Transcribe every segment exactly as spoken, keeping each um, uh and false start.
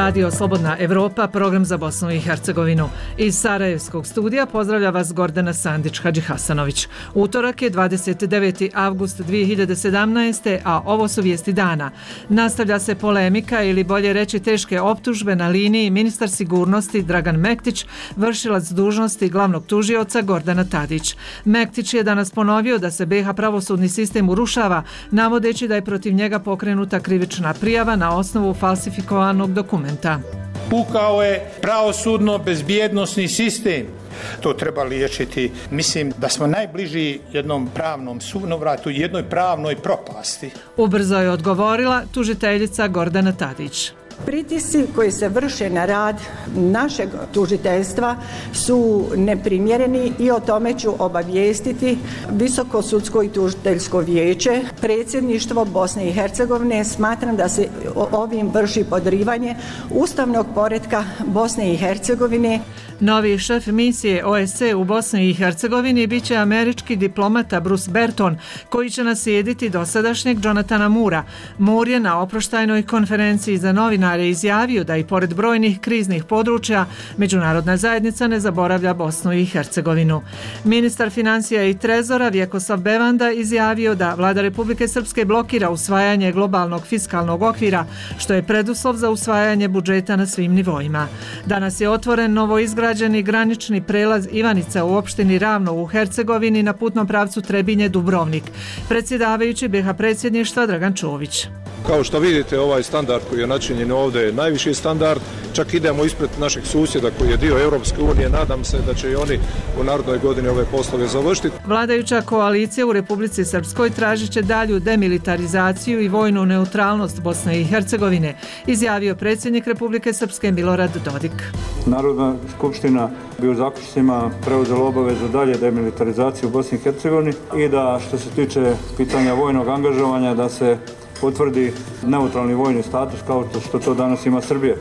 Radio Slobodna Evropa, program za Bosnu i Hercegovinu. Iz Sarajevskog studija pozdravlja vas Gordana Sandić-Hadžihasanović. Utorak je dvadeset deveti avgust dvije hiljade sedamnaeste. a ovo su vijesti dana. Nastavlja se polemika ili bolje reći teške optužbe na liniji ministar sigurnosti Dragan Mektić, vršilac dužnosti glavnog tužioca Gordana Tadić. Mektić je danas ponovio da se B iH pravosudni sistem urušava, navodeći da je protiv njega pokrenuta krivična prijava na osnovu falsifikovanog dokumenta. Pukao je pravosudno bezbjednosni sistem. To treba liječiti. Mislim da smo najbliži jednom pravnom sunovratu, jednoj pravnoj propasti. Ubrzo je odgovorila tužiteljica Gordana Tadić. Pritisci koji se vrše na rad našeg tužiteljstva su neprimjereni i o tome ću obavijestiti Visoko sudsko i tužiteljsko vijeće. Predsjedništvo Bosne i Hercegovine smatram da se ovim vrši podrivanje ustavnog poretka Bosne i Hercegovine. Novi šef misije O S C e u Bosni i Hercegovini bit će američki diplomata Bruce Berton, koji će naslijediti dosadašnjeg Jonathana Moora. Moore je na oproštajnoj konferenciji za novinare izjavio da i pored brojnih kriznih područja međunarodna zajednica ne zaboravlja Bosnu i Hercegovinu. Ministar financija i trezora Vjekoslav Bevanda izjavio da vlada Republike Srpske blokira usvajanje globalnog fiskalnog okvira, što je preduslov za usvajanje budžeta na svim nivoima. Danas je otvoren novoizgrađeni granični prelaz Ivanica u opštini Ravno u Hercegovini na putnom pravcu Trebinje-Dubrovnik. Predsjedavajući B iH predsjedništva Dragan Čović. Kao što vidite, ovaj standard koji je načinjen ovdje je najviši standard, čak idemo ispred našeg susjeda koji je dio Europske unije, nadam se da će i oni u narednoj godini ove poslove završiti. Vladajuća koalicija u Republici Srpskoj tražit će dalju demilitarizaciju i vojnu neutralnost Bosne i Hercegovine, izjavio predsjednik Republike Srpske Milorad Dodik. Narodna skupština bi u zaključcima preuzela obavezu dalje demilitarizaciju u Bosni i Hercegovini i da što se tiče pitanja vojnog angažovanja da se potvrdi neutralni vojni status kao što to danas ima Srbija.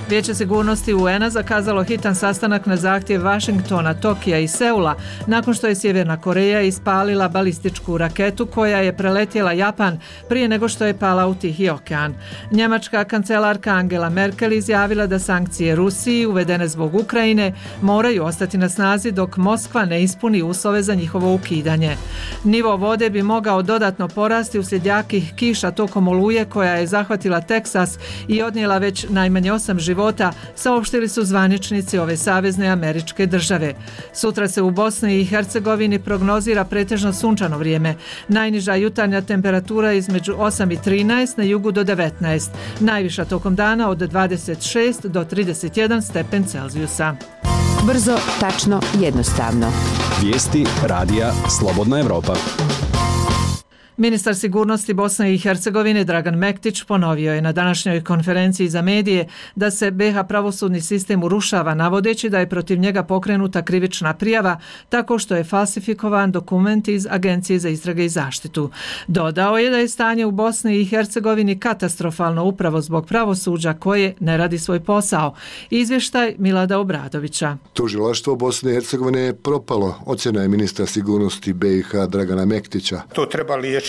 Vijeće sigurnosti U N a zakazalo hitan sastanak na zahtjev Vašingtona, Tokija i Seula nakon što je Sjeverna Koreja ispalila balističku raketu koja je preletjela Japan prije nego što je pala u Tihi okean. Njemačka kancelarka Angela Merkel izjavila da sankcije Rusiji uvedene zbog Ukrajine moraju ostati na snazi dok Moskva ne ispuni uslove za njihovo ukidanje. Nivo vode bi mogao dodatno porasti uslijed jakih kiša tokom oluje koja je zahvatila Teksas i odnijela već najmanje osam života života, saopštili su zvaničnici ove savezne američke države. Sutra se u Bosni i Hercegovini prognozira pretežno sunčano vrijeme. Najniža jutarnja temperatura između osam i trinaest, na jugu do devetnaest. Najviša tokom dana od dvadeset šest do trideset jedan stepen Celzijusa. Brzo, tačno, jednostavno. Vijesti radija Slobodna Evropa. Ministar sigurnosti Bosne i Hercegovine Dragan Mektić ponovio je na današnjoj konferenciji za medije da se B iH pravosudni sistem urušava, navodeći da je protiv njega pokrenuta krivična prijava tako što je falsifikovan dokument iz Agencije za istrage i zaštitu. Dodao je da je stanje u Bosni i Hercegovini katastrofalno upravo zbog pravosuđa koje ne radi svoj posao. Izvještaj Milada Obradovića. Tužilaštvo Bosne i Hercegovine je propalo, ocjena je ministra sigurnosti B iH Dragana Mektića. To treba liječiti.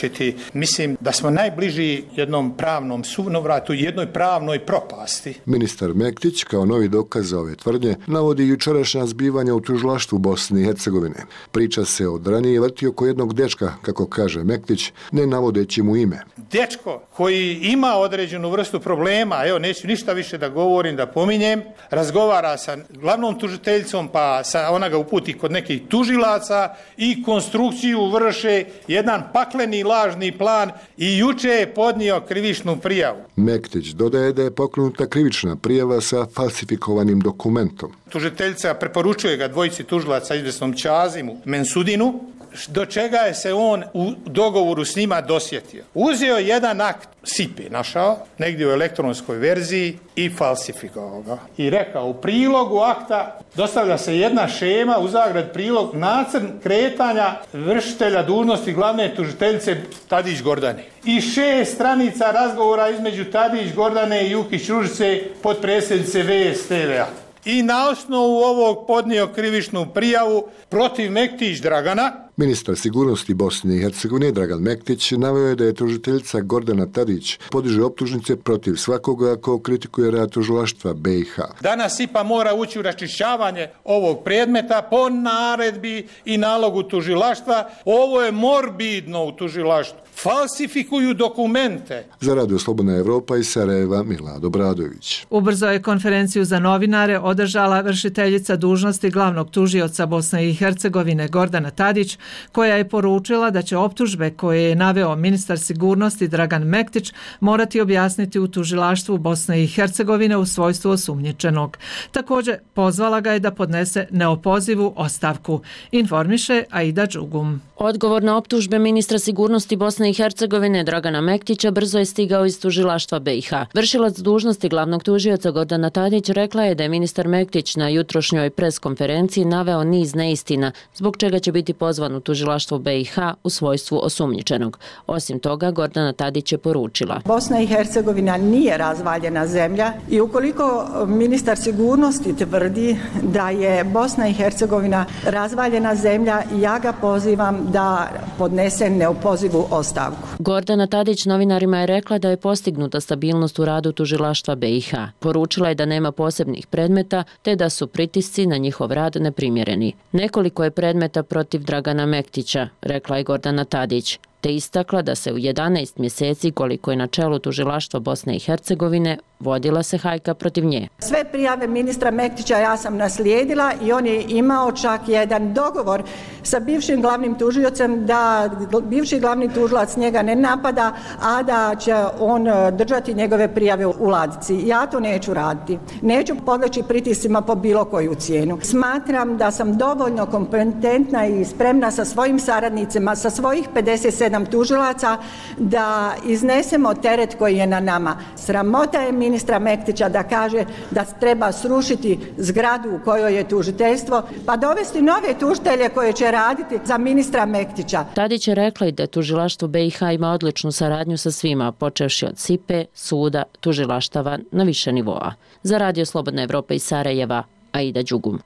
Mislim da smo najbliži jednom pravnom sunovratu, jednoj pravnoj propasti. Ministar Mektić kao novi dokaz za ove tvrdnje navodi jučerašnja zbivanja u tužilaštvu Bosne i Hercegovine. Priča se od ranije vrti oko jednog dečka, kako kaže Mektić, ne navodeći mu ime. Dečko koji ima određenu vrstu problema, evo neću ništa više da govorim, da pominjem, razgovara sa glavnom tužiteljicom, pa sa ona ga uputi kod nekih tužilaca i konstrukciju vrše jedan pakleni lažni plan i juče je podnio krivičnu prijavu. Mektić dodaje da je pokrenuta krivična prijava sa falsifikovanim dokumentom. Tužiteljica preporučuje ga dvojici tužilaca izvjesnom Čazimu Mensudinu, do čega je se on u dogovoru s njima dosjetio. Uzeo jedan akt Sipe, našao, negdje u elektronskoj verziji i falsifikovao ga. I rekao, u prilogu akta dostavlja se jedna šema, u zagrad prilog, nacrt kretanja vršitelja dužnosti glavne tužiteljice Tadić Gordane. I šest stranica razgovora između Tadić Gordane i Jukić Ružice, potpredsjednice V S T V-a. I na osnovu ovog podnio krivičnu prijavu protiv Mektić Dragana Ministar sigurnosti Bosne i Hercegovine Dragan Mektić naveo je da je tužiteljica Gordana Tadić podiže optužnice protiv svakoga ko kritikuje rad tužilaštva B i H. Danas I P A mora ući u raščišćavanje ovog predmeta po naredbi i nalogu tužilaštva. Ovo je morbidno u tužilaštvu. Falsifikuju dokumente. Za Radio Slobodna Evropa iz Sarajeva Milad Obradović. Ubrzo je konferenciju za novinare održala vršiteljica dužnosti glavnog tužioca Bosne i Hercegovine Gordana Tadić, koja je poručila da će optužbe koje je naveo ministar sigurnosti Dragan Mektić morati objasniti u tužilaštvu Bosne i Hercegovine u svojstvu osumnjičenog. Također pozvala ga je da podnese neopozivu ostavku. Informiše Aida Đugum. Odgovor na optužbe ministra sigurnosti Bosne i Hercegovine Dragana Mektića brzo je stigao iz tužilaštva B i H. Vršilac dužnosti glavnog tužioca Gordana Tadić rekla je da je ministar Mektić na jutrošnjoj pres konferenciji naveo niz neistina, zbog čega će biti pozvan u tužilaštvo B i H u svojstvu osumnjičenog. Osim toga, Gordana Tadić je poručila: Bosna i Hercegovina nije razvaljena zemlja i ukoliko ministar sigurnosti tvrdi da je Bosna i Hercegovina razvaljena zemlja, ja ga pozivam da podnese neopozivu ostavku. Gordana Tadić novinarima je rekla da je postignuta stabilnost u radu tužilaštva B i H. Poručila je da nema posebnih predmeta, te da su pritisci na njihov rad neprimjereni. Nekoliko je predmeta protiv Dragana Mektića, rekla je Gordana Tadić, te istakla da se u jedanaest mjeseci koliko je na čelu tužilaštva Bosne i Hercegovine vodila se hajka protiv nje. Sve prijave ministra Mektića ja sam naslijedila i on je imao čak jedan dogovor sa bivšim glavnim tužiocem da bivši glavni tužilac njega ne napada, a da će on držati njegove prijave u ladici. Ja to neću raditi. Neću podleći pritiscima po bilo koju cijenu. Smatram da sam dovoljno kompetentna i spremna sa svojim saradnicima, sa svojih pedeset sedam tužilaca da iznesemo teret koji je na nama. Sramota je ministra Mektića da kaže da treba srušiti zgradu u kojoj je tužiteljstvo, pa dovesti nove tužitelje koje će raditi za ministra Mektića. Tadić je rekla i da tužilaštvo B i H ima odličnu saradnju sa svima, počevši od S I P E, suda, tužilaštava na više nivoa. Za Radio Slobodna Evropa iz Sarajeva, Aida Đugum.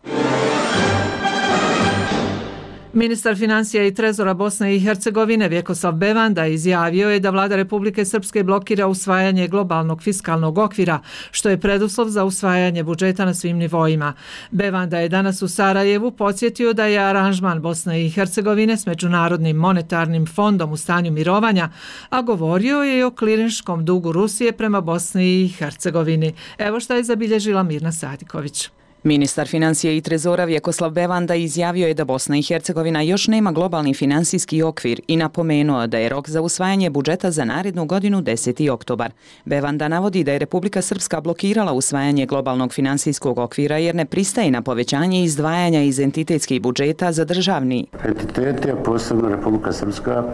Ministar financija i trezora Bosne i Hercegovine Vjekoslav Bevanda izjavio je da vlada Republike Srpske blokira usvajanje globalnog fiskalnog okvira, što je preduslov za usvajanje budžeta na svim nivoima. Bevanda je danas u Sarajevu podsjetio da je aranžman Bosne i Hercegovine s Međunarodnim monetarnim fondom u stanju mirovanja, a govorio je i o klirinškom dugu Rusije prema Bosni i Hercegovini. Evo šta je zabilježila Mirna Sadiković. Ministar financije i trezora Vjekoslav Bevanda izjavio je da Bosna i Hercegovina još nema globalni finansijski okvir i napomenuo da je rok za usvajanje budžeta za narednu godinu deseti oktobar. Bevanda navodi da je Republika Srpska blokirala usvajanje globalnog finansijskog okvira jer ne pristaje na povećanje izdvajanja iz entitetskih budžeta za državni. Entiteti, a posebno Republika Srpska,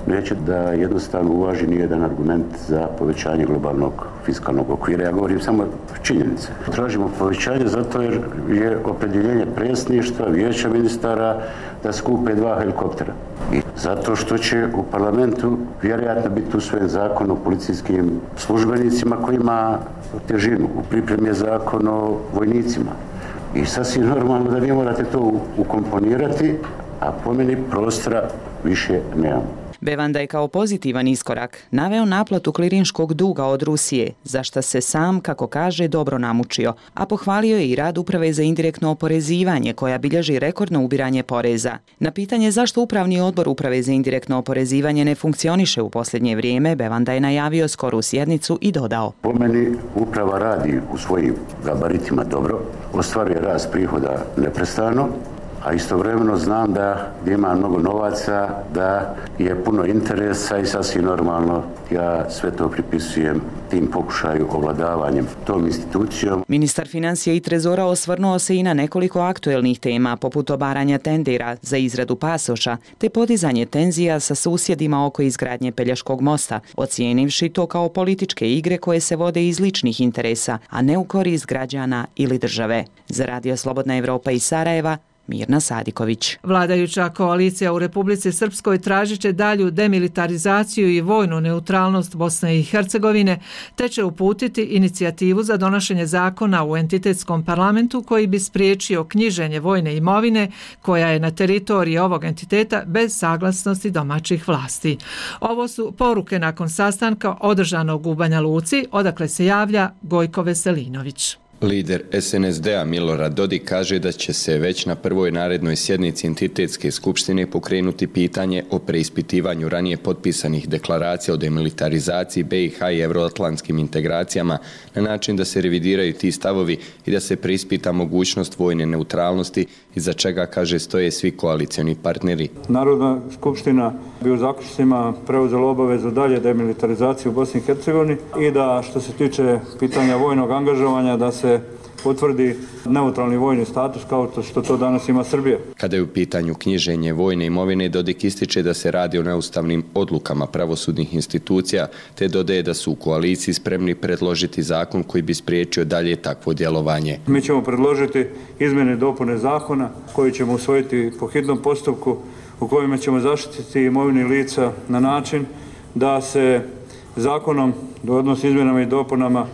neće da jednostavno uvaži nijedan argument za povećanje globalnog fiskalnog okvira. Ja govorim samo činjenice. Tražimo povećanje zato jer je opredjeljenje predsjedništva, vijeća ministara da skupe dva helikoptera. I zato što će u parlamentu vjerojatno biti usvojen zakon o policijskim službenicima koji ima težinu. U pripremi je zakon o vojnicima. I sasvim normalno da vi morate to ukomponirati, a po meni prostora više nemamo. Bevanda je kao pozitivan iskorak naveo naplatu klirinškog duga od Rusije, za šta se sam, kako kaže, dobro namučio, a pohvalio je i rad Uprave za indirektno oporezivanje koja bilježi rekordno ubiranje poreza. Na pitanje zašto Upravni odbor Uprave za indirektno oporezivanje ne funkcioniše u posljednje vrijeme, Bevanda je najavio skoru sjednicu i dodao: Po meni uprava radi u svojim gabaritima dobro, ostvaruje rast prihoda neprestano, a istovremeno znam da ima mnogo novaca, da je puno interesa i sasvim normalno ja sve to pripisujem tim pokušaju ovladavanjem tom institucijom. Ministar financija i trezora osvrnuo se i na nekoliko aktuelnih tema poput obaranja tendera za izradu pasoša te podizanje tenzija sa susjedima oko izgradnje Pelješkog mosta, ocijenivši to kao političke igre koje se vode iz ličnih interesa, a ne u korist građana ili države. Za Radio Slobodna Evropa iz Sarajeva, Mirna Sadiković. Vladajuća koalicija u Republici Srpskoj tražit će dalju demilitarizaciju i vojnu neutralnost Bosne i Hercegovine, te će uputiti inicijativu za donošenje zakona u entitetskom parlamentu koji bi spriječio knjiženje vojne imovine koja je na teritoriji ovog entiteta bez saglasnosti domaćih vlasti. Ovo su poruke nakon sastanka održanog u Banja Luci, odakle se javlja Gojko Veselinović. Lider es en es de a Milorad Dodik kaže da će se već na prvoj narednoj sjednici entitetske skupštine pokrenuti pitanje o preispitivanju ranije potpisanih deklaracija o demilitarizaciji be i ha i euroatlantskim integracijama na način da se revidiraju ti stavovi i da se preispita mogućnost vojne neutralnosti iza čega, kaže, stoje svi koalicioni partneri. Narodna skupština bi u zaključcima preuzela obavezu dalje demilitarizaciju u Bosni i Hercegovini i da što se tiče pitanja vojnog angažovanja da se potvrdi neutralni vojni status kao što to danas ima Srbija. Kada je u pitanju knjiženje vojne imovine, Dodik ističe da se radi o neustavnim odlukama pravosudnih institucija, te dodaje da su u koaliciji spremni predložiti zakon koji bi spriječio dalje takvo djelovanje. Mi ćemo predložiti izmjene i dopune zakona koji ćemo usvojiti po hitnom postupku u kojima ćemo zaštititi imovini lica na način da se zakonom, odnosno izmjenama i dopunama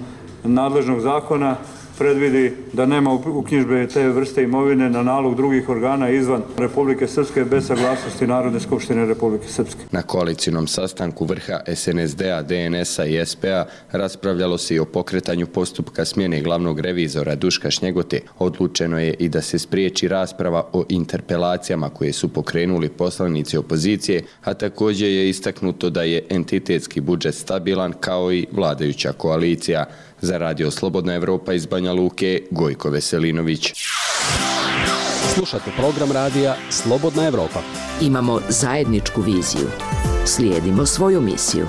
nadležnog zakona, predvidi da nema uknjižbe te vrste imovine na nalog drugih organa izvan Republike Srpske bez saglasnosti Narodne skupštine Republike Srpske. Na koalicijnom sastanku vrha es en es de a, de en es a i es pe a raspravljalo se i o pokretanju postupka smjene glavnog revizora Duška Šnjegote. Odlučeno je i da se spriječi rasprava o interpelacijama koje su pokrenuli poslanici opozicije, a također je istaknuto da je entitetski budžet stabilan kao i vladajuća koalicija. Za Radio Slobodna Evropa iz Banja Luke, Gojko Veselinović. Slušate program radija Slobodna Evropa. Imamo zajedničku viziju. Slijedimo svoju misiju.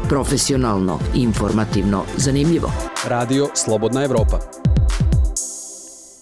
Profesionalno, informativno, zanimljivo. Radio Slobodna Evropa.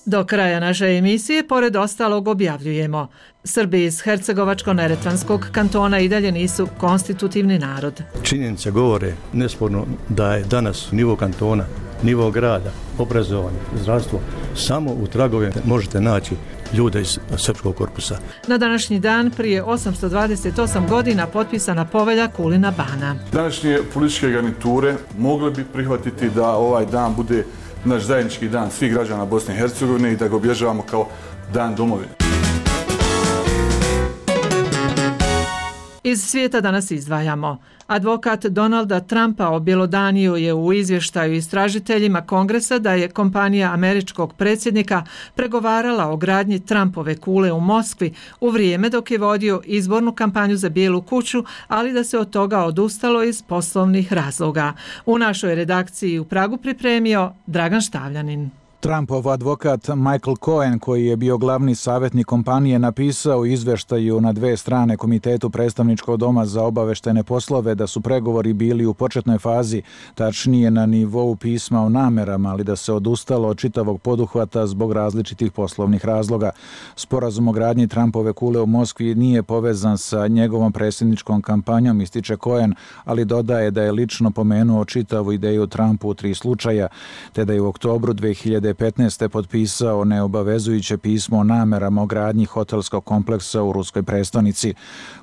Do kraja naše emisije, pored ostalog, objavljujemo: Srbi iz Hercegovačko-Neretvanskog kantona i dalje nisu konstitutivni narod. Činjenice govore nesporno da je danas nivo kantona, nivo grada, obrazovanje, zdravstvo, samo u tragovima možete naći ljude iz srpskog korpusa. Na današnji dan prije osamsto dvadeset osam godina potpisana povelja Kulina Bana. Današnje političke garniture mogle bi prihvatiti da ovaj dan bude naš zajednički dan svih građana Bosne i Hercegovine i da ga obježavamo kao dan domovine. Iz svijeta danas izdvajamo: advokat Donalda Trumpa objelodanio je u izvještaju istražiteljima Kongresa da je kompanija američkog predsjednika pregovarala o gradnji Trumpove kule u Moskvi u vrijeme dok je vodio izbornu kampanju za Bijelu kuću, ali da se od toga odustalo iz poslovnih razloga. U našoj redakciji u Pragu pripremio Dragan Štavljanin. Trumpov advokat Michael Cohen, koji je bio glavni savjetnik kompanije, napisao u izvještaju na dve strane Komitetu predstavničkog doma za obaveštene poslove da su pregovori bili u početnoj fazi, tačnije na nivou pisma o namerama, ali da se odustalo od čitavog poduhvata zbog različitih poslovnih razloga. Sporazum o gradnji Trumpove kule u Moskvi nije povezan sa njegovom predsjedničkom kampanjom, ističe Cohen, ali dodaje da je lično pomenuo čitavu ideju Trumpu u tri slučaja, te da je u oktobru dve hiljade petnaeste. potpisao neobavezujuće pismo o namerama o gradnji hotelskog kompleksa u ruskoj prestonici.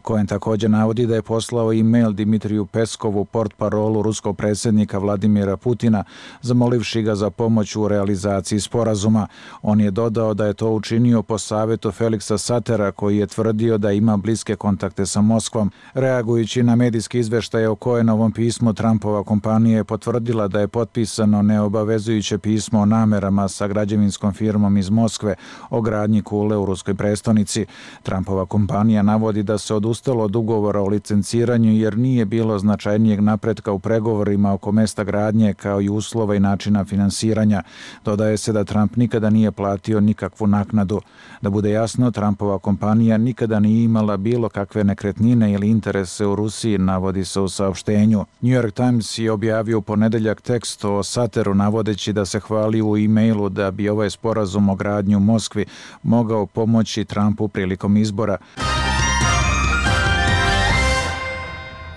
Cohen također navodi da je poslao e-mail Dimitriju Peskovu, portparolu ruskog predsjednika Vladimira Putina, zamolivši ga za pomoć u realizaciji sporazuma. On je dodao da je to učinio po savjetu Feliksa Satera, koji je tvrdio da ima bliske kontakte sa Moskvom. Reagujući na medijski izveštaj o Cohenovom pismu, Trumpova kompanija je potvrdila da je potpisano neobavezujuće pismo o namerama sa građevinskom firmom iz Moskve o gradnji kule u ruskoj prestonici. Trumpova kompanija navodi da se odustalo od ugovora o licenciranju jer nije bilo značajnijeg napretka u pregovorima oko mesta gradnje kao i uslova i načina finansiranja. Dodaje se da Trump nikada nije platio nikakvu naknadu. Da bude jasno, Trumpova kompanija nikada nije imala bilo kakve nekretnine ili interese u Rusiji, navodi se u saopštenju. New York Times je objavio u ponedeljak tekst o Sateru navodeći da se hvali u e-mailu da bi ovaj sporazum o gradnji u Moskvi mogao pomoći Trumpu prilikom izbora.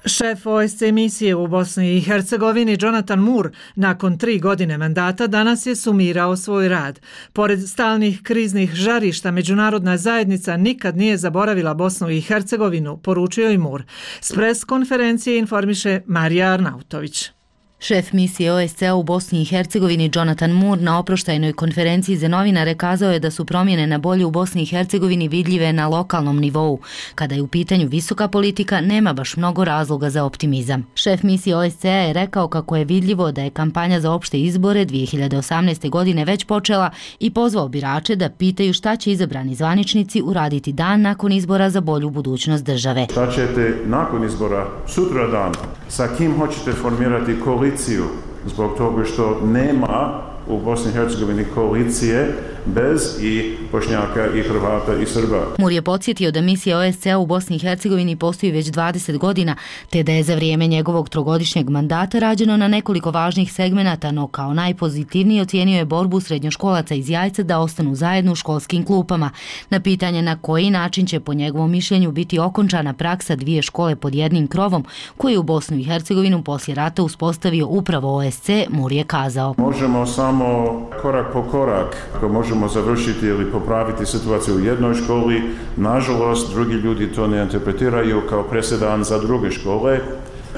Šef O S C misije u Bosni i Hercegovini Jonathan Moore nakon tri godine mandata danas je sumirao svoj rad. Pored stalnih kriznih žarišta, međunarodna zajednica nikad nije zaboravila Bosnu i Hercegovinu, poručio i Moore. S pres konferencije informiše Marija Arnautović. Šef misije O S C-a u Bosni i Hercegovini Jonathan Moore na oproštajnoj konferenciji za novinare kazao je da su promjene na bolje u Bosni i Hercegovini vidljive na lokalnom nivou. Kada je u pitanju visoka politika, nema baš mnogo razloga za optimizam. Šef misije O S C-a je rekao kako je vidljivo da je kampanja za opšte izbore dvije hiljade osamnaeste. godine već počela i pozvao birače da pitaju šta će izabrani zvaničnici uraditi dan nakon izbora za bolju budućnost države. Šta ćete nakon izbora sutra dan? Sa kim hoćete formirati koaliciju zbog toga što nema u Bosni i Hercegovini koalicije bez i Bošnjaka i Hrvata i Srba. Moore je podsjetio da misija O S C-a u Bosni i Hercegovini postoji već dvadeset godina, te da je za vrijeme njegovog trogodišnjeg mandata rađeno na nekoliko važnih segmenata, no kao najpozitivniji ocijenio je borbu srednjoškolaca iz Jajca da ostanu zajedno u školskim klupama. Na pitanje na koji način će po njegovom mišljenju biti okončana praksa dvije škole pod jednim krovom, koju je u Bosnu i Hercegovinu poslije rata uspostavio upravo O S C, Moore je kazao. Možemo samo korak po korak, ako možemo završiti ili popraviti situaciju u jednoj školi, nažalost drugi ljudi to ne interpretiraju kao presedan za druge škole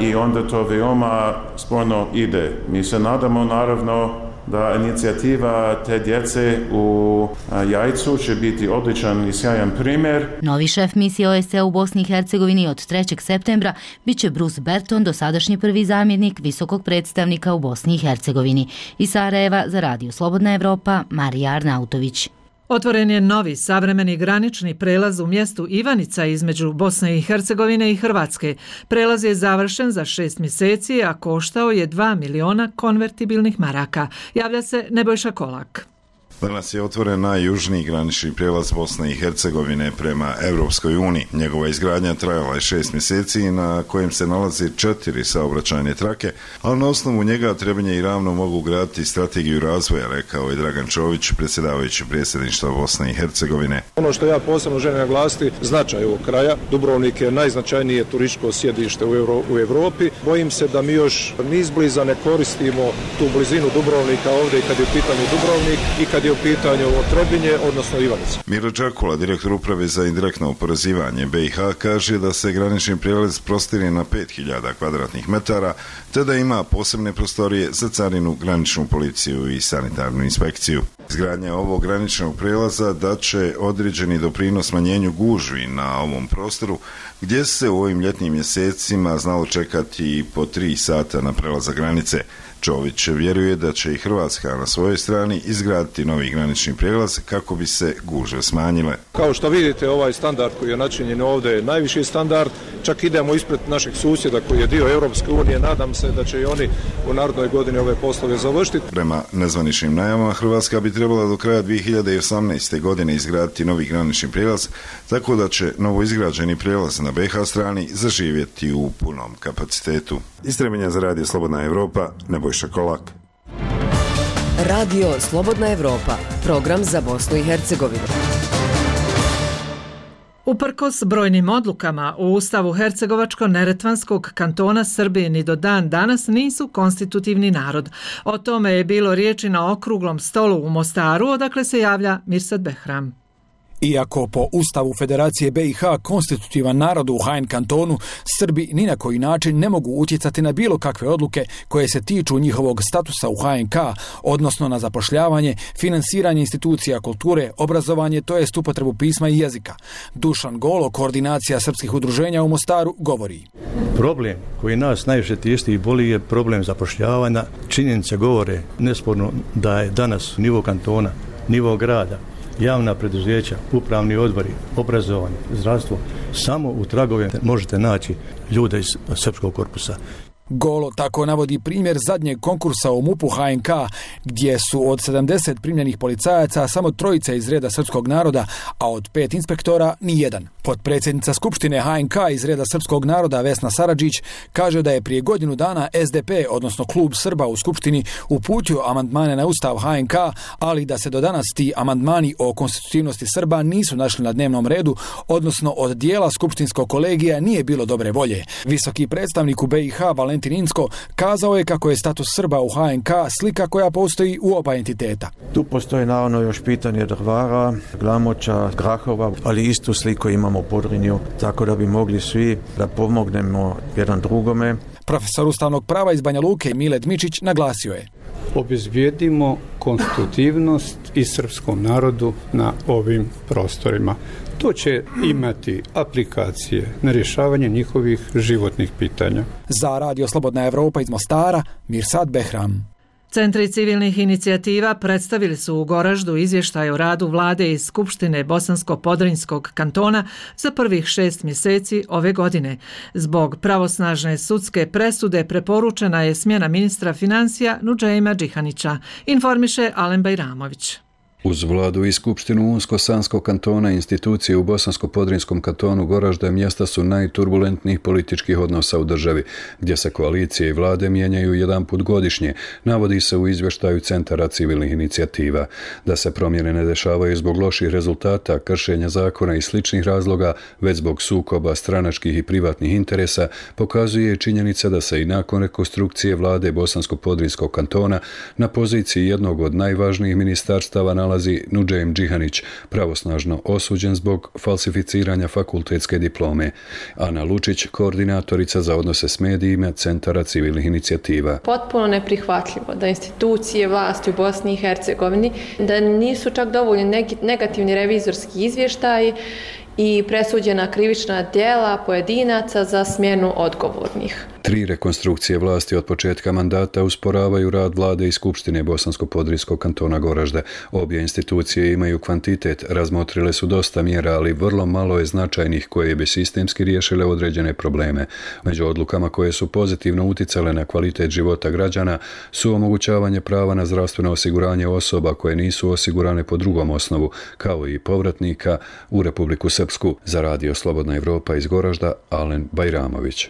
i onda to veoma sporno ide. Mi se nadamo naravno da inicijativa te djece u Jajcu će biti odličan i sjajan primjer. Novi šef misije O S C-a u Bosni i Hercegovini od trećeg septembra bit će Bruce Berton, dosadašnji prvi zamjenik visokog predstavnika u Bosni i Hercegovini. Iz Sarajeva za Radio Slobodna Evropa, Marija Arnautović. Otvoren je novi savremeni granični prelaz u mjestu Ivanica između Bosne i Hercegovine i Hrvatske. Prelaz je završen za šest mjeseci, a koštao je dva miliona konvertibilnih maraka. Javlja se Nebojša Kolak. Danas je otvoren najjužniji granični prijelaz Bosne i Hercegovine prema Europskoj uniji. Njegova izgradnja trajala je šest mjeseci na kojem se nalazi četiri saobraćajne trake, ali na osnovu njega Trebinje i Ravno mogu graditi strategiju razvoja, rekao je Dragan Čović, predsjedavajući predsjedništva Bosne i Hercegovine. Ono što ja posebno želim naglasiti, značaj ovog kraja. Dubrovnik je najznačajnije turističko sjedište u, Euro, u Evropi. Bojim se da mi još ni izbliza ne koristimo tu blizinu Dubrovnika ovdje kad je u pitanju Dubrovnik i kad je u pitanju Trebinje, odnosno Ivanica. Miro Đakula, direktor uprave za indirektno oporezivanje B i H, kaže da se granični prijelaz prostire na pet hiljada kvadratnih metara, te da ima posebne prostorije za carinu, graničnu policiju i sanitarnu inspekciju. Izgradnja ovog graničnog prijelaza daće određeni doprinos smanjenju gužvi na ovom prostoru, gdje se u ovim ljetnim mjesecima znalo čekati i po tri sata na prelazak granice. Čović vjeruje da će i Hrvatska na svojoj strani izgraditi novi granični prijelaz kako bi se gužve smanjile. Kao što vidite, ovaj standard koji je načinjen ovdje je najviši standard, čak idemo ispred našeg susjeda koji je dio Europske unije, nadam se da će i oni u narednoj godini ove poslove završiti. Prema nezvaničnim najavama, Hrvatska bi trebala do kraja dvije hiljade osamnaeste. godine izgraditi novi granični prijelaz, tako da će novo izgrađeni prijelaz na B H strani zaživjeti u punom kapacitetu. Iz Trebinja za Radio Slobodna Evropa, Nebojša Kolak. Radio Slobodna Evropa, program za Bosnu i Hercegovinu. Uprkos brojnim odlukama u Ustavu Hercegovačko-Neretvanskog kantona Srbije ni do dan danas nisu konstitutivni narod. O tome je bilo riječi na okruglom stolu u Mostaru, odakle se javlja Mirsad Behram. Iako po Ustavu Federacije B i H konstitutivan narod u H N kantonu, Srbi ni na koji način ne mogu utjecati na bilo kakve odluke koje se tiču njihovog statusa u H N K, odnosno na zapošljavanje, finansiranje institucija kulture, obrazovanje, to jest upotrebu pisma i jezika. Dušan Golo, koordinacija srpskih udruženja u Mostaru, govori. Problem koji nas najviše tišti i boli je problem zapošljavanja. Činjenice govore nesporno da je danas nivo kantona, nivo grada, javna preduzeća, upravni odbori, obrazovanje, zdravstvo, samo u tragovima možete naći ljude iz srpskog korpusa. Golo tako navodi primjer zadnjeg konkursa u MUP-u H N K, gdje su od sedamdeset primljenih policajaca samo trojica iz reda srpskog naroda, a od pet inspektora ni jedan. Potpredsjednica Skupštine H N K iz reda srpskog naroda Vesna Saradžić kaže da je prije godinu dana S D P, odnosno Klub Srba u Skupštini, uputio amandmane na Ustav H N K, ali da se do danas ti amandmani o konstitutivnosti Srba nisu našli na dnevnom redu, odnosno od dijela skupštinskog kolegija nije bilo dobre volje. Visoki predstavnik u B i H Valentin Inzko kazao je kako je status Srba u H N K slika koja postoji u oba entiteta. Tu postoji naravno još pitanje Drvara, Glamoča, Grahova, ali istu sliku imamo u Podrinju, tako da bi mogli svi da pomognemo jedan drugome. Profesor ustavnog prava iz Banja Luke Mile Dmičić naglasio je: obezbijedimo konstitutivnost i srpskom narodu na ovim prostorima. To će imati aplikacije na rješavanje njihovih životnih pitanja. Za Radio Slobodna Evropa iz Mostara, Mirsad Behram. Centri civilnih inicijativa predstavili su u Goraždu izvještaj o radu vlade iz Skupštine Bosansko-Podrinjskog kantona za prvih šest mjeseci ove godine. Zbog pravosnažne sudske presude preporučena je smjena ministra financija Nudžeima Džihanića, informiše Alen Bajramović. Uz vladu i skupštinu Unsko-Sanskog kantona, institucije u Bosansko-Podrinjskom kantonu Goražda mjesta su najturbulentnijih političkih odnosa u državi, gdje se koalicije i vlade mijenjaju jedan put godišnje, navodi se u izvještaju Centara civilnih inicijativa. Da se promjene ne dešavaju zbog loših rezultata, kršenja zakona i sličnih razloga, već zbog sukoba stranačkih i privatnih interesa, pokazuje činjenica da se i nakon rekonstrukcije vlade Bosansko-Podrinjskog kantona na poziciji jednog od najvažnijih ministarstava nalazi Nudžeim Džihanić, pravosnažno osuđen zbog falsificiranja fakultetske diplome. Ana Lučić, koordinatorica za odnose s medijima Centara civilnih inicijativa. Potpuno neprihvatljivo da institucije vlasti u Bosni i Hercegovini, da nisu čak dovoljni negativni revizorski izvještaji i presuđena krivična djela pojedinaca za smjenu odgovornih. Tri rekonstrukcije vlasti od početka mandata usporavaju rad vlade i Skupštine Bosansko-Podrinjskog kantona Goražde. Obje institucije imaju kvantitet, razmotrile su dosta mjera, ali vrlo malo je značajnih koje bi sistemski riješile određene probleme. Među odlukama koje su pozitivno uticale na kvalitet života građana su omogućavanje prava na zdravstveno osiguranje osoba koje nisu osigurane po drugom osnovu, kao i povratnika u Republiku Srpsku. Za Radio Slobodna Evropa iz Goražda, Alen Bajramović.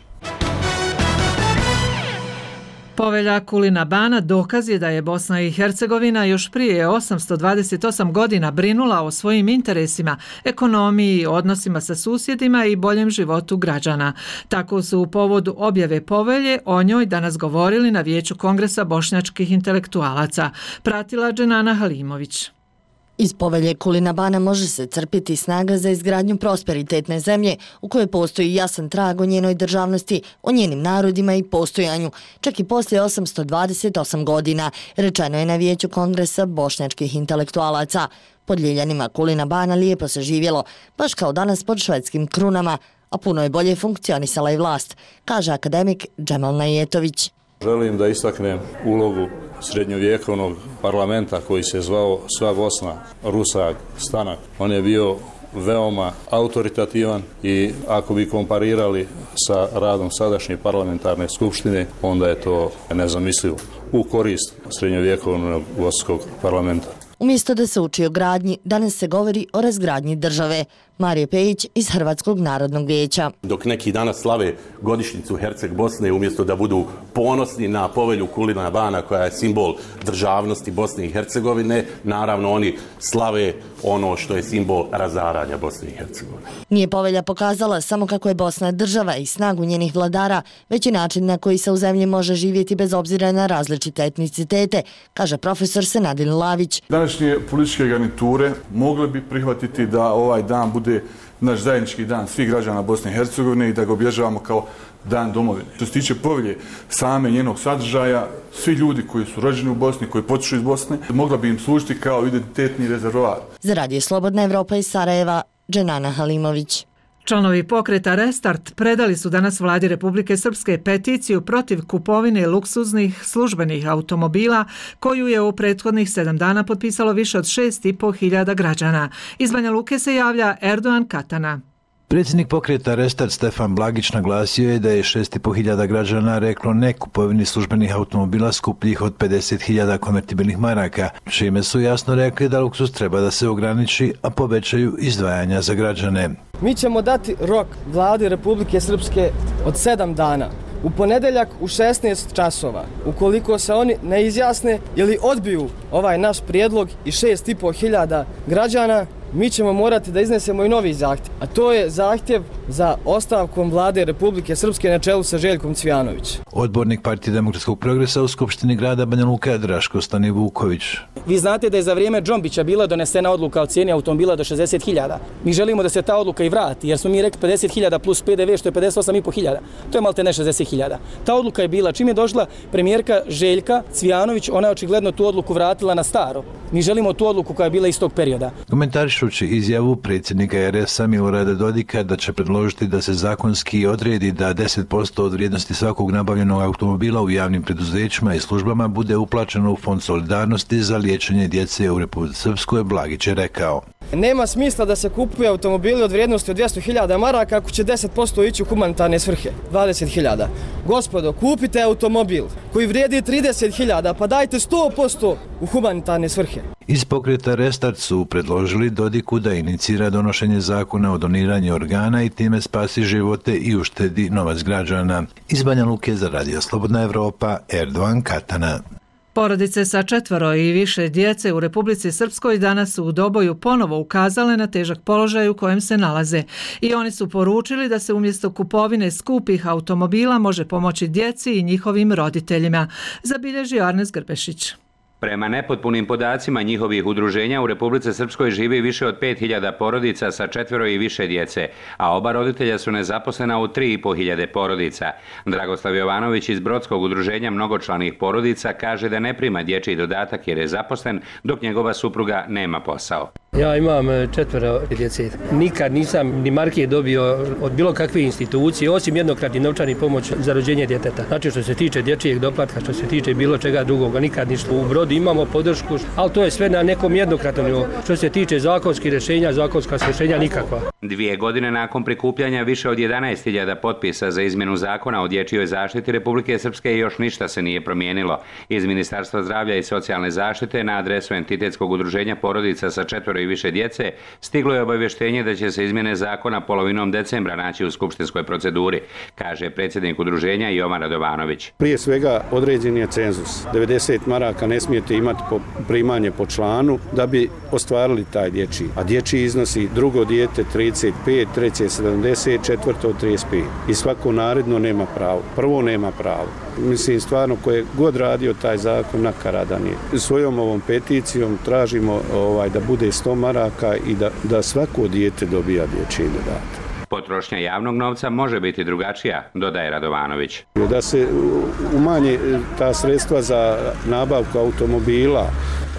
Povelja Kulina Bana dokaz je da je Bosna i Hercegovina još prije osamsto dvadeset osam godina brinula o svojim interesima, ekonomiji, odnosima sa susjedima i boljem životu građana. Tako su u povodu objave povelje o njoj danas govorili na Vijeću Kongresa bošnjačkih intelektualaca. Pratila Dženana Halimović. Iz povelje Kulina Bana može se crpiti snaga za izgradnju prosperitetne zemlje u kojoj postoji jasan trag o njenoj državnosti, o njenim narodima i postojanju, čak i poslije osamsto dvadeset osam godina, rečeno je na Vijeću Kongresa bošnjačkih intelektualaca. Pod ljiljanima Kulina Bana lijepo se živjelo, baš kao danas pod švedskim krunama, a puno je bolje funkcionisala i vlast, kaže akademik Džemal Najetović. Želim da istaknem ulogu srednjovjekovnog parlamenta koji se zvao Sva Bosna, Rusak, Stanak. On je bio veoma autoritativan i ako bi komparirali sa radom sadašnje parlamentarne skupštine, onda je to nezamislivo u korist srednjovjekovnog bosanskog parlamenta. Umjesto da se uči o gradnji, danas se govori o razgradnji države. Marije Pejić iz Hrvatskog narodnog vijeća. Dok neki danas slave godišnjicu Herceg Bosne, umjesto da budu ponosni na povelju Kulina Bana koja je simbol državnosti Bosne i Hercegovine, naravno oni slave ono što je simbol razaranja Bosne i Hercegovine. Nije povelja pokazala samo kako je Bosna država i snagu njenih vladara, već i način na koji se u zemlji može živjeti bez obzira na različite etnicitete, kaže profesor Senadin Lavić. Današnje političke garniture mogle bi prihvatiti da ovaj dan bude naš zajednički dan svih građana Bosne i Hercegovine i da ga obježavamo kao dan domovine. Što se tiče povelje same njenog sadržaja, svi ljudi koji su rođeni u Bosni, koji potiču iz Bosne, mogla bi im služiti kao identitetni rezervoar. Za Radio Slobodna Evropa iz Sarajeva, Dženana Halimović. Članovi pokreta Restart predali su danas vladi Republike Srpske peticiju protiv kupovine luksuznih službenih automobila koju je u prethodnih sedam dana potpisalo više od šest i po hiljada građana. Iz Banja Luke se javlja Erdogan Katana. Predsjednik pokreta Restart Stefan Blagić naglasio je da je šest i po hiljada građana reklo ne kupovini službenih automobila skupljih od pedeset hiljada konvertibilnih maraka, čime su jasno rekli da luksuz treba da se ograniči, a povećaju izdvajanja za građane. Mi ćemo dati rok vladi Republike Srpske od sedam dana. U ponedeljak u šesnaest časova, ukoliko se oni ne izjasne ili odbiju ovaj naš prijedlog i šest i po hiljada građana, mi ćemo morati da iznesemo i novi zahtjev, a to je zahtjev za ostavkom vlade Republike Srpske na čelu sa Željkom Cvijanović. Odbornik Partije demokratskog progresa u Skupštini grada Banja Luka Draško Stani Vuković. Vi znate da je za vrijeme Džombića bila donesena odluka o cijeni automobila do šezdeset hiljada. Mi želimo da se ta odluka i vrati, jer smo mi rekli pedeset hiljada plus P D V, što je pedeset osam i po hiljada. To je malte ne šezdeset hiljada. Ta odluka je bila, čim je došla premijerka Željka Cvijanović, ona je očigledno tu odluku vratila na staro. Mi želimo tu odluku koja je bila iz tog perioda. Komentarišući izjavu predsjednika R S A Milorada Dodika da će predložiti da se zakonski odredi da deset posto od vrijednosti svakog nabavljenog automobila u javnim preduzećima i službama bude uplaćeno u Fond solidarnosti za liječenje djece u Republici Srpskoj, Blagić je rekao. Nema smisla da se kupuje automobili od vrijednosti od dvjesto hiljada maraka ako će deset posto ići u humanitarne svrhe, dvadeset hiljada. Gospodo, kupite automobil koji vrijedi trideset hiljada, pa dajte sto posto u humanitarne svrhe. Iz pokreta Restart su predložili Dodiku da inicira donošenje zakona o doniranju organa i time spasi živote i uštedi novac građana. Iz Banja Luke za Radio Slobodna Evropa, Erdogan Katana. Porodice sa četvoro i više djece u Republici Srpskoj danas su u Doboju ponovo ukazale na težak položaj u kojem se nalaze i oni su poručili da se umjesto kupovine skupih automobila može pomoći djeci i njihovim roditeljima, zabilježio Arnes Grbešić. Prema nepotpunim podacima njihovih udruženja u Republici Srpskoj živi više od pet hiljada porodica sa četvero i više djece, a oba roditelja su nezaposlena u tri i po hiljade porodica. Dragoslav Jovanović iz Brodskog udruženja mnogočlanih porodica kaže da ne prima dječji dodatak jer je zaposlen, dok njegova supruga nema posao. Ja imam četvero djece. Nikad nisam ni marke dobio od bilo kakve institucije, osim jednokratni novčani pomoć za rođenje djeteta. Znači što se tiče dječjeg doplatka, što se tiče bilo čega drugoga, nikad ništa. U Brodu imamo podršku, ali to je sve na nekom jednokratnom nivou. Što se tiče zakonskih rješenja, zakonska rješenja nikakva. Dvije godine nakon prikupljanja više od jedanaest hiljada potpisa za izmjenu zakona o dječjoj zaštiti Republike Srpske još ništa se nije promijenilo. Iz Ministarstva zdravlja i socijalne zaštite na adresu entitetskog udruženja porodica sa četvero i više djece stiglo je obavještenje da će se izmjene zakona polovinom decembra naći u skupštinskoj proceduri, kaže predsjednik udruženja Jovan Radovanović. Prije svega određen je cenzus. devedeset maraka ne smijete imati po primanje po članu da bi ostvarili taj dječji. A dječji iznosi drugo dijete trideset pet, treće sedamdeset, četvrto trideset pet. I svako naredno nema pravo. Prvo nema pravo. Mislim, stvarno, ko je god radio taj zakon, nakaradan je. Svojom ovom peticijom tražimo ovaj, da bude sto maraka i da, da svako dijete dobija dječji dodatak. Potrošnja javnog novca može biti drugačija, dodaje Radovanović. Da se umanje ta sredstva za nabavku automobila,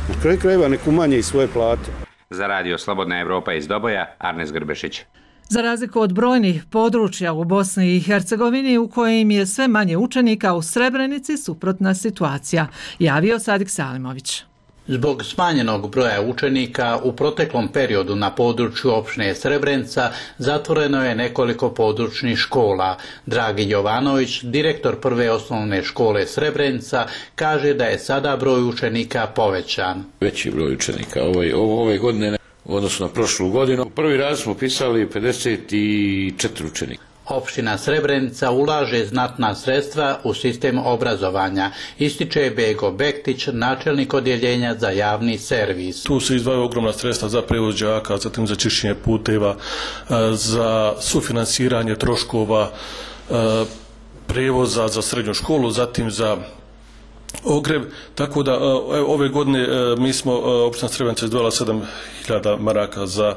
na kraju krajeva nek umanje i svoje plate. Za Radio Slobodna Evropa iz Doboja, Arnes Grbešić. Za razliku od brojnih područja u Bosni i Hercegovini u kojim je sve manje učenika, u Srebrenici suprotna situacija, javio Sadik Salimović. Zbog smanjenog broja učenika u proteklom periodu na području opštine Srebrenica zatvoreno je nekoliko područnih škola. Dragi Jovanović, direktor prve osnovne škole Srebrenica, kaže da je sada broj učenika povećan. Veći broj učenika ove, ove godine u odnosu na prošlu godinu. U prvi raz smo pisali pedeset četiri učenika. Opština Srebrenica ulaže znatna sredstva u sistem obrazovanja, ističe Bego Bektić, načelnik odjeljenja za javni servis. Tu se izdvajaju ogromna sredstva za prevoz đaka, zatim za čišćenje puteva, za sufinansiranje troškova prevoza za srednju školu, zatim za ogreb, tako da ove godine mi smo, opština Srebrenica izdvojila sedam hiljada maraka za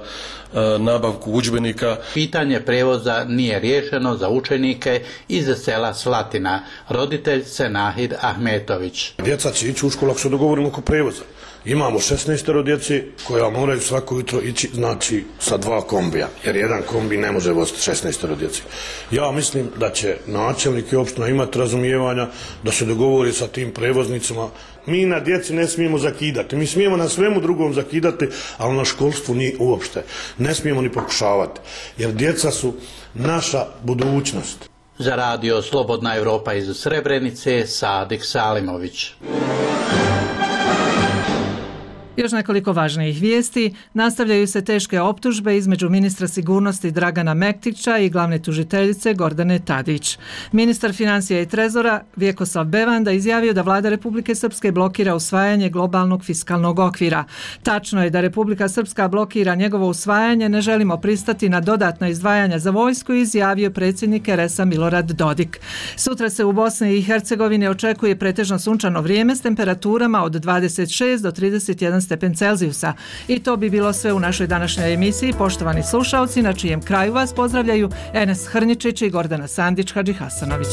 nabavku udžbenika. Pitanje prevoza nije riješeno za učenike iz sela Slatina, roditelj Senahid Ahmetović. Djeca će ići u školu ako se dogovorimo oko prevoza. Imamo šesnaest djeci koja moraju svako jutro ići, znači, sa dva kombija, jer jedan kombi ne može voziti šesnaest djeci. Ja mislim da će načelnik i opština imati razumijevanja, da se dogovori sa tim prevoznicima. Mi na djeci ne smijemo zakidati, mi smijemo na svemu drugom zakidati, ali na školstvu ni uopšte. Ne smijemo ni pokušavati, jer djeca su naša budućnost. Za radio Slobodna Europa iz Srebrenice, Sadik Salimović. Još nekoliko važnijih vijesti. Nastavljaju se teške optužbe između ministra sigurnosti Dragana Mektića i glavne tužiteljice Gordane Tadić. Ministar financija i trezora Vjekoslav Bevanda izjavio da vlada Republike Srpske blokira usvajanje globalnog fiskalnog okvira. Tačno je da Republika Srpska blokira njegovo usvajanje, ne želimo pristati na dodatna izdvajanja za vojsku, izjavio predsjednik er es a Milorad Dodik. Sutra se u Bosni i Hercegovini očekuje pretežno sunčano vrijeme s temperaturama od dvadeset šest do trideset jedan stepen Celzijusa. I to bi bilo sve u našoj današnjoj emisiji. Poštovani slušalci, na čijem kraju vas pozdravljaju Enes Hrničić i Gordana Sandić Hadži Hasanović.